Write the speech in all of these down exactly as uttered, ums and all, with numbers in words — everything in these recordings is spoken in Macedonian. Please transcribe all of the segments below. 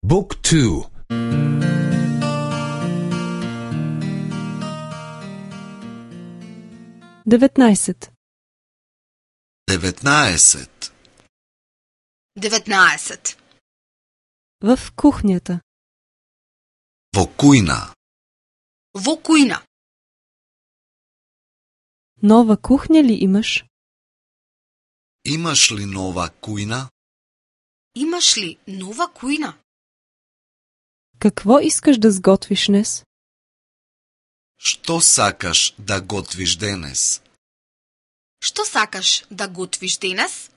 Book two. деветнаесет. деветнаесет. деветнаесет. В кухнята. Во кујна. Во кујна. Нова кухня ли имаш? Имаш ли нова кујна? Имаш ли нова кујна? Какво искаш да сготвиш днес? Што сакаш да готвиш денес? Што сакаш да готвиш денес?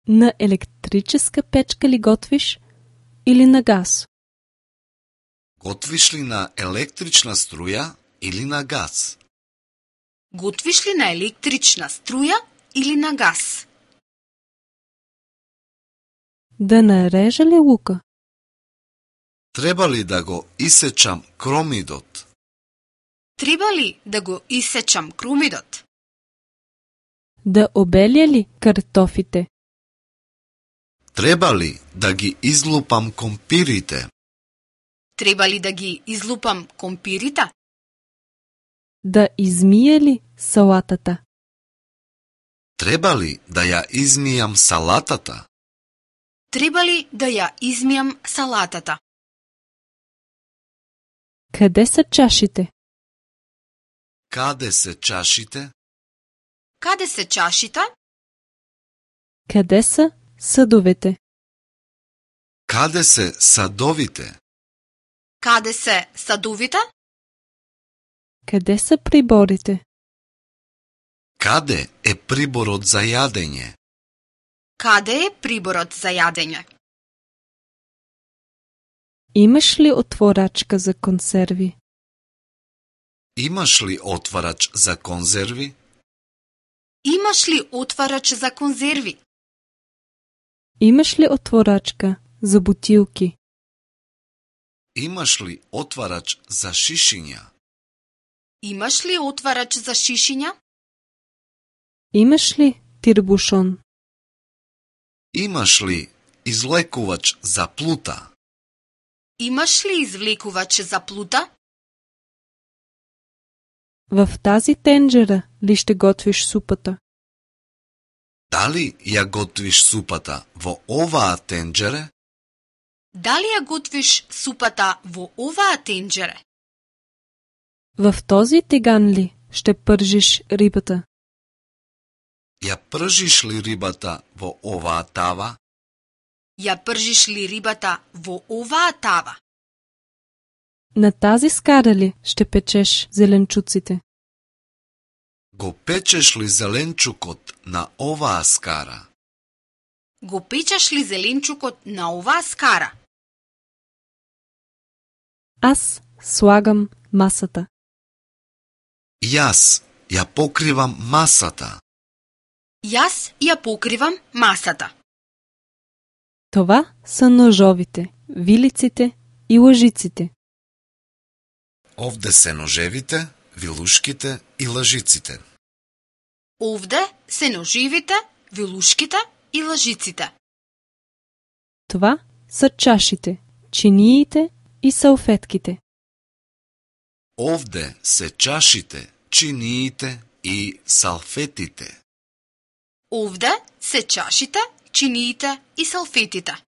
На електрическа печка ли готвиш или на газ? Готвиш ли на електрична струја или на газ? Готвиш ли на електрична струја или на газ? Да нарежа ли лука? Треба ли да го исечам кромидот? Треба ли да го исечам крумидот? Да обеля ли картофите? Треба ли да ги излупам компирите? Треба ли да ги излупам компирите? Да измие ли салатата? Треба ли да ја измијам салатата? Треба ли да ја измијам салатата? Къде са чашите? Каде се чашите? Каде се чашите? Къде са съдовете? Каде се садовите? Каде се садовите? Къде са приборите? Каде е приборот за јадење? Каде е приборот за јадење? Имаш ли отворачка за консерви? Имаш ли отварач за конзерви? Имаш ли отварач за конзерви? Имаш ли отворачка за бутилки? Имаш ли отварач за шишиња? Имаш ли отварач за шишиња? Имаш ли тирбушон? Имаш ли излекувач за плута? Имаш ли извлекувач за плута? В тази тенджера ли ще готвиш супата? Дали ја готвиш супата во оваа тенџере? Дали ја готвиш супата во оваа тенџере? В този тиган ли ще пържиш рибата? Ја пржиш ли рибата во оваа тава? Ја пржиш ли рибата во оваа тава? На тази скара ли ще печеш зеленчуците? Го печеш ли зеленчукот на оваа скара? Го печеш ли зеленчукот на оваа скара? Аз слагам масата. Јас ја покривам масата. Јас ја покривам масата. Това са ножовите, вилиците и лъжиците. Овде се ножевите, вилушките и лажиците. Овде се ноживите, вилушките и лажиците. Това са чашите, чиниите и салфетките. Овде се чашите, чиниите и салфетите. Овде се чашите, чиниите и салфетите.